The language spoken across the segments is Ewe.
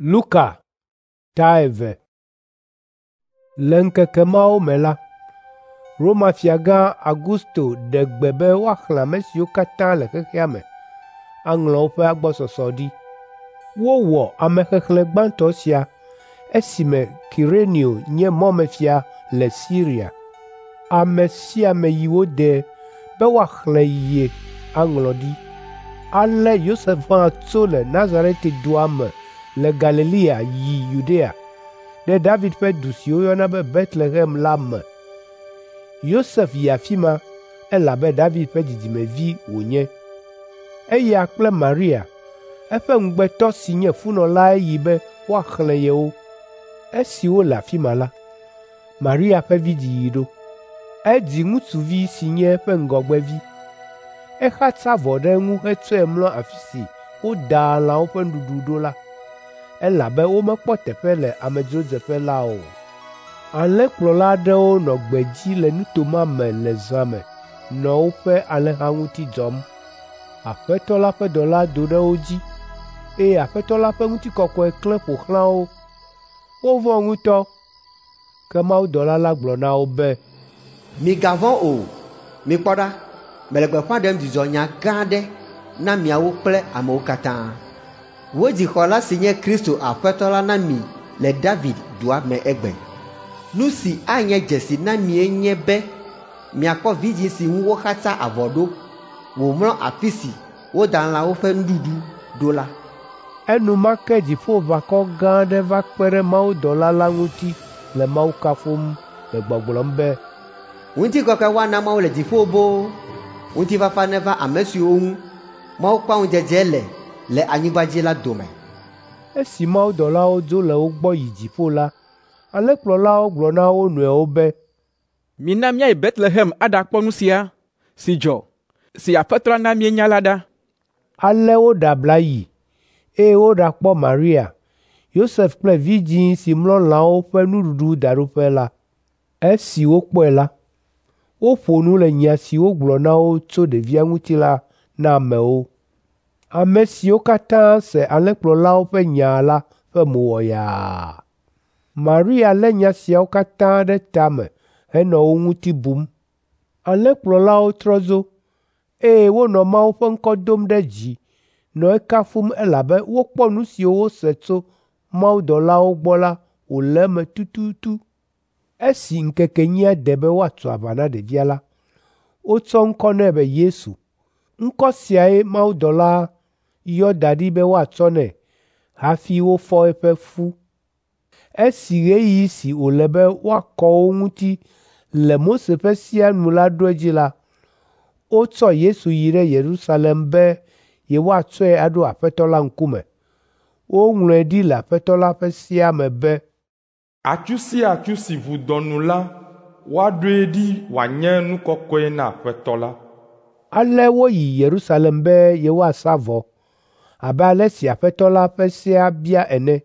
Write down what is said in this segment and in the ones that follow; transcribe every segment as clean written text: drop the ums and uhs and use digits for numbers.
Luka ta 2. Le ŋkeke mawo me la, Roma fiagã Augusto ɖe gbe be woaxlẽ ame siwo katã le xexea me, aŋlɔ woƒe agbɔsɔsɔ ɖi. Wowɔ amexexlẽ gbãtɔ sia esime Kirenio nye mɔmefia le Siria. Ame sia ame yi wo de be woaxlẽ ye aŋlɔ ɖi. Ale Yosef hã tso le Nazaret dua me le Galilea yi Yudea, ɖe David ƒe du si woyɔna be Betlehem la me. Yosef yi afi ma elabe David ƒe dzidzimevi wònye. Eya kple Maria, eƒe ŋugbetɔ si nye funɔ lae yi be woaxlẽ yewo. Esi wole afi ma la, Maria ƒe vidziɣi ɖo. Edzi ŋutsuvi si nye eƒe ŋgɔgbevi. Exatsa avɔ ɖe eŋu hetsɔe mlɔ afi si wodaa lãwo ƒe nuɖuɖu ɖo la, elabe womekpɔ teƒe le amedzrodzeƒe la o. Alẽkplɔla aɖewo nɔ gbedzi le nuto ma me le zã me nɔ woƒe alẽha ŋuti dzɔm. Aƒetɔ la ƒe dɔla do ɖe wo dzi, eye Aƒetɔ la ƒe ŋutikɔkɔe klẽ ƒo xlã wo. Wovɔ̃ ŋutɔ. Ke mawudɔla la gblɔ na wo be, Migavɔ̃ o. Mikpɔ ɖa, mele gbeƒã ɖem dzidzɔnya gã aɖe na miawo kple amewo katã. Wodzi xɔla si nye Kristo Aƒetɔ la na mi le David dua me egbe. Nu si anye dzesi na mie nye be miakpɔ vidzĩ si ŋu woxatsa avɔ ɖo wòmlɔ afi si woda lãwo ƒe nuɖuɖu ɖo la. Enumake dziƒoʋakɔ gã aɖe va kpe ɖe mawudɔla la ŋuti le Mawu kafum le gbɔgblɔm be, Ŋutikɔkɔe woana Mawu le dziƒo boo. Ŋutifafa neva ame siwo ŋu Mawu kpɔa ŋudzedze le le anyigba dzi la dome. Esi mawudɔlawo dzo le wo gbɔ yi dziƒo la, alẽkplɔlawo gblɔ na wo nɔewo be, Mina míayi Betlehem aɖakpɔ nu sia si dzɔ, si Aƒetɔ la na míenya la ɖa. Ale woɖe abla yi, eye woɖakpɔ Maria, Yosef kple vidzĩ si mlɔ lãwo ƒe nuɖuɖudaɖoƒe la. Esi wokpɔe la, woƒo nu le nya si wogblɔ na wo tso ɖevia ŋuti la na amewo. Ame siwo katã se alẽkplɔlawo ƒe nya la ƒe mo wɔ yaa. Maria lé nya siawo katã ɖe tame henɔ wo ŋuti bum. Alẽkplɔlawo trɔ dzo, eye wonɔ Mawu ƒe ŋkɔ dom ɖe dzi nɔ ekafum elabe wokpɔ nu siwo wose tso mawudɔlawo gbɔ la wòle eme tututu. Esi ŋkeke enyia de be woatso aʋa na ɖevia la, wotsɔ ŋkɔ nɛ be Yesu. Ŋkɔ siae mawudɔla yɔ da ɖi be woatsɔ nɛ hafi wofɔ eƒe fu. Esi ɣeyiɣi si wòle be woakɔ wo ŋuti le Mose ƒe sea nu la ɖo edzi la, wotsɔ Yesu yi ɖe Yerusalem be yewoatsɔe aɖo Aƒetɔ la ŋkume. Woŋlɔe ɖi le Aƒetɔ la ƒe sea me be, Atsu sia atsu si ʋu dɔ nu la, woaɖoe ɖi wòanye nu kɔkɔe na Aƒetɔ la. Ale woyi Yerusalem be yewoasa vɔ abe ale si Aƒetɔ la ƒe sea bia ene.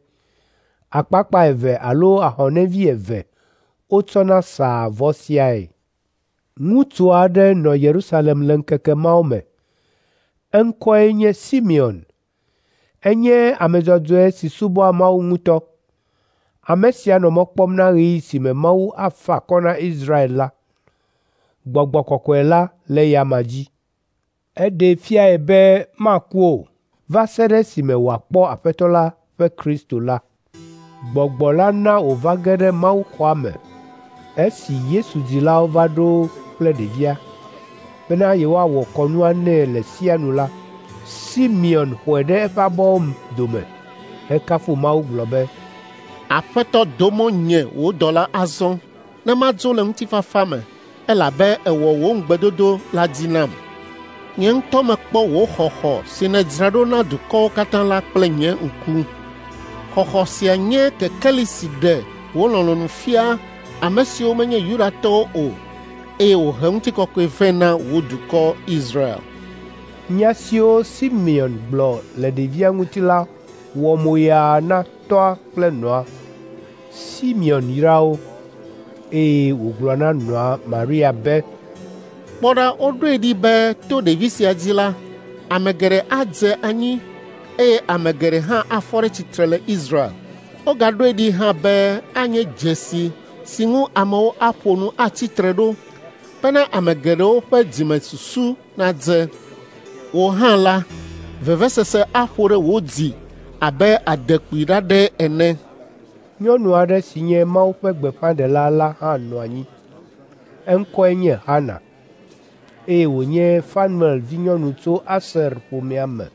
Akpakpa eve alo ahɔnɛvi eve wotsɔna saa vɔ siae. Ŋutsu aɖe nɔ Yerusalem le ŋkeke mawo me. Eŋkɔe nye Simeon. Enye ame dzɔdzɔe si subɔa Mawu ŋutɔ. Ame sia nɔ mɔ kpɔm na ɣeyiɣi si me Mawu afa akɔ na Israel la. Gbɔgbɔ kɔkɔe la le eya dzi. Eɖee fiae be maku o va se ɖe esime wòakpɔ Aƒetɔ la ƒe Kristo la. Gbɔgbɔ la na wòva ge ɖe mawuxɔa me esi Yesu dzilawo va ɖo kple ɖevia bena yewoawɔ kɔnua nɛ le sea nu la, Simeon xɔe ɖe eƒe abɔwo dome hekafu Mawu gblɔ be, Aƒetɔ do mɔ nye wò dɔla azɔ ne madzo le ŋutifafa me, elabe èwɔ wò ŋugbedodo la dzi nam. Nye ŋutɔ mekpɔ wò xɔxɔ si nèdzra ɖo na dukɔwo katã la kple nye ŋku. Xɔxɔ sia nye kekeli si ɖe wò lɔlɔ̃nu fia ame siwo menye Yudatɔwo o, eye wòhe ŋutikɔkɔe vɛ na wò dukɔ Israel. Nya siwo Simeon gblɔ le ɖevia ŋuti la wɔ moyaa na tɔa kple nɔa. Simeon yra wo, eye wògblɔ na nɔa Maria be, Kpɔ ɖa, woɖoe ɖi be to ɖevi sia dzi la, ame geɖe adze anyi, eye ame geɖe hã afɔ ɖe tsitre le Israel. Wogaɖoe ɖi hã be anye dzesi si ŋu amewo aƒo nu atsi tre ɖo bena ame geɖewo ƒe dzimesusu nadze. Wò hã la, vevesese aƒo ɖe wò dzi abe adekpui ɖaɖɛ ene. Nyɔnu aɖe si nye Mawu ƒe gbeƒãɖela la hã nɔ anyi. Eŋkɔe nye Hana, eye wònye Fanuel vinyɔnu tso Aser ƒomea me.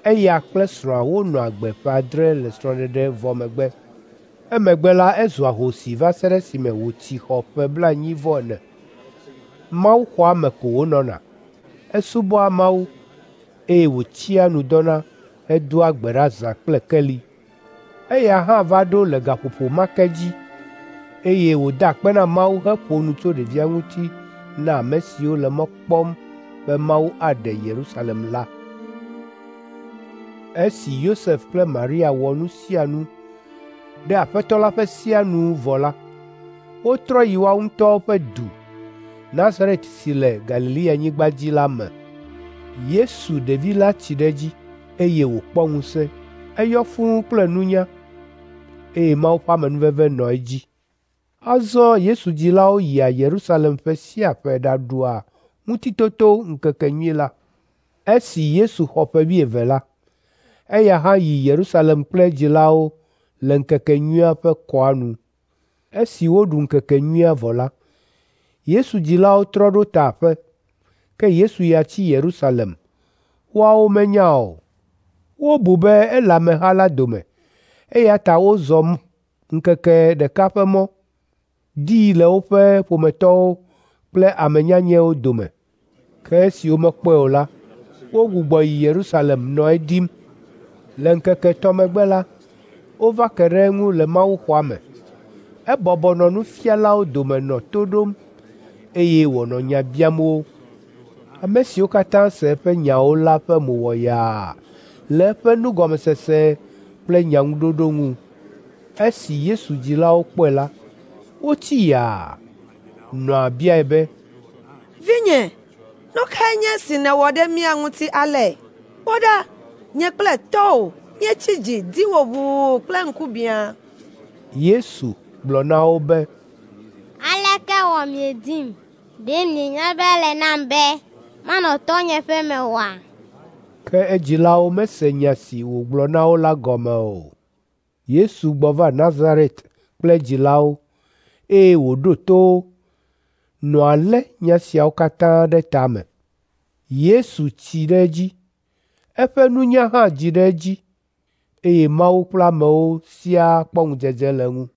Eya kple srɔ̃a wonɔ agbe ƒe adre le srɔ̃ɖeɖe vɔ megbe. Emegbe la, ezu ahosi va se ɖe esime wòtsi xɔ ƒe 40. Mawuxɔa me ko wònɔna. Esubɔa Mawu, eye wòtsia nu dɔna hedoa gbe ɖa zã kple keli. Eya hã va ɖo le gaƒoƒo ma ke dzi, eye wòda akpe na Mawu heƒo nu tso ɖevia ŋuti na ame siwo le mɔ kpɔm be Mawu aɖe Yerusalem la. Esi Yosef kple Maria wɔ nu sia nu ɖe Aƒetɔ la ƒe sea nu vɔ la, wotrɔ yi woawo ŋutɔwo ƒe du, Nazaret si le Galileanyigba dzi la me. Yesu ɖevi la tsi ɖe edzi, eye wòkpɔ ŋusẽ. Eyɔ fũu kple nunya, eye Mawu ƒe amenuveve nɔ edzi. Azɔ Yesu dzilawo yia Yerusalem ƒe sia ƒe ɖaɖua Ŋutitotoŋkekenyui la. Esi Yesu xɔ ƒe 70 la, eya hã yi Yerusalem kple edzilawo le ŋkekenyuia ƒe kɔa nu. Esi woɖu ŋkekenyuia vɔ la, Yesu dzilawo trɔ ɖo ta aƒe, ke Yesu ya tsi Yerusalem. Woawo menya o. Wobu be ele ameha la dome, eya ta wozɔ ŋkeke ɖeka ƒe mɔ, dii le woƒe ƒometɔwo kple ame nyanyɛwo dome. Ke esi womekpɔe o la, wogbugbɔ yi Yerusalem nɔ edim. Le ŋkeke etɔ̃ megbe la, wova ke ɖe eŋu le mawuxɔa me. Ebɔbɔ nɔ nufialawo dome nɔ to ɖom, eye wònɔ nya biam wo. Ame siwo katã se eƒe nyawo la ƒe mo wɔ yaa le eƒe nugɔmesese kple nyaŋuɖoɖo ŋu. Esi Yesu dzilawo kpɔe la, wotsi yaa. Nɔa biae be, “Vinye, nu kae nye esi nèwɔ ɖe mía ŋuti ale? Kpɔ ɖa, nye kple tɔwò míetsi dzi di wò ʋuu kple ŋkubiã.” Yesu gblɔ na wo be, “Aleke wɔ miedim? Ɖe mienya be ele nam be manɔ tɔnye ƒe me oa?” Ke edzilawo mese nya si wògblɔ na wo la gɔme o. Yesu gbɔ va Nazaret kple edzilawo, eye wòɖo to wo. Nɔa lé nya siawo katã ɖe tame. Yesu tsi ɖe edzi, eƒe nunya hã dzi ɖe edzi, eye Mawu kple amewo siaa kpɔ ŋudzedze le eŋu.